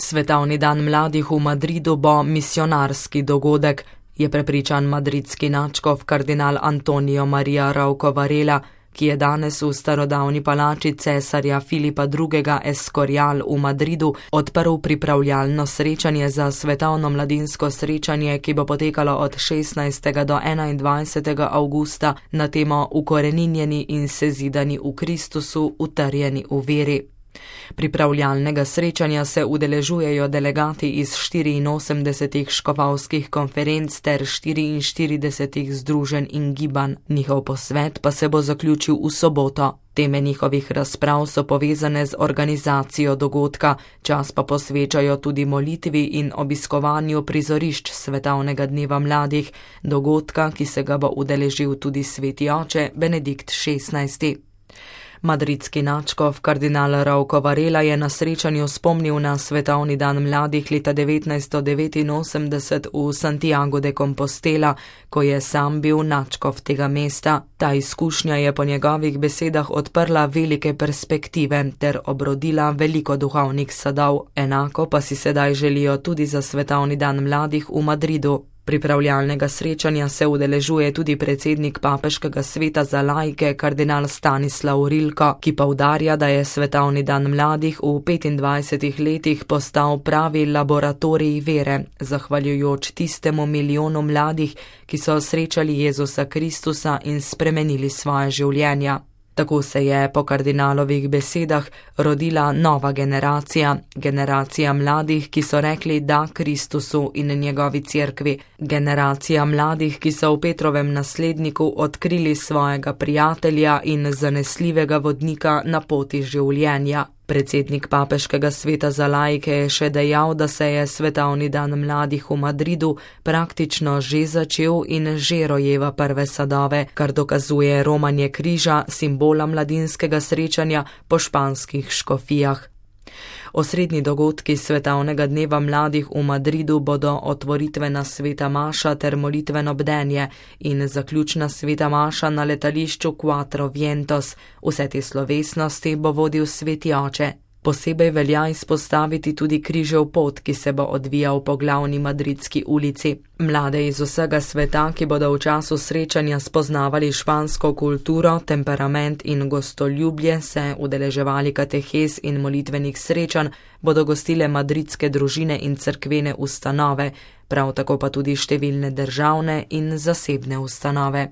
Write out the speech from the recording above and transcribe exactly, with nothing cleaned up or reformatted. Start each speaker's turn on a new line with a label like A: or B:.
A: Svetovni dan mladih v Madridu bo misionarski dogodek, je prepričan madridski nadškof kardinal Antonio Maria Rouco Varela, ki je danes v starodavni palači cesarja Filipa drugega Escorial v Madridu odprl pripravljalno srečanje za svetovno mladinsko srečanje, ki bo potekalo od šestnajstega do enaindvajsetega avgusta na temo Ukoreninjeni in sezidani v Kristusu, utrjeni v veri. Pripravljalnega srečanja se udeležujejo delegati iz štiriinosemdesetih škofovskih konferenc ter štiriinštiridesetih združenj in gibanj. Njihov posvet pa se bo zaključil v soboto. Teme njihovih razprav so povezane z organizacijo dogodka, čas pa posvečajo tudi molitvi in obiskovanju prizorišč Svetovnega dneva mladih, dogodka, ki se ga bo udeležil tudi sveti oče Benedikt šestnajsti. Madridski nadškof kardinal Rouco Varela je na srečanju spomnil na Svetovni dan mladih leta devetnajststo devetinosemdeset v Santiago de Compostela, ko je sam bil nadškof tega mesta. Ta izkušnja je po njegovih besedah odprla velike perspektive ter obrodila veliko duhovnih sadov, enako pa si sedaj želijo tudi za Svetovni dan mladih v Madridu. Pripravljalnega srečanja se udeležuje tudi predsednik Papeškega sveta za laike kardinal Stanislav Rilko, ki poudarja, da je Svetovni dan mladih v petindvajsetih letih postal pravi laboratorij vere, zahvaljujoč tistemu milijonu mladih, ki so srečali Jezusa Kristusa in spremenili svoje življenja. Tako se je po kardinalovih besedah rodila nova generacija, generacija mladih, ki so rekli da Kristusu in njegovi cerkvi, generacija mladih, ki so v Petrovem nasledniku odkrili svojega prijatelja in zanesljivega vodnika na poti življenja. Predsednik Papeškega sveta za laike je še dejal, da se je Svetovni dan mladih v Madridu praktično že začel in že rojeva prve sadove, kar dokazuje romanje križa, simbola mladinskega srečanja po španskih škofijah. Osrednji dogodki Svetovnega dneva mladih v Madridu bodo otvoritvena sveta maša ter molitveno bdenje in zaključna sveta maša na letališču Cuatro Vientos. Vse te slovesnosti bo vodil sveti oče. Posebej velja izpostaviti tudi križev pot, ki se bo odvijal po glavni madridski ulici. Mlade iz vsega sveta, ki bodo v času srečanja spoznavali špansko kulturo, temperament in gostoljubje, se udeleževali katehez in molitvenih srečanj, bodo gostile madridske družine in cerkvene ustanove, prav tako pa tudi številne državne in zasebne ustanove.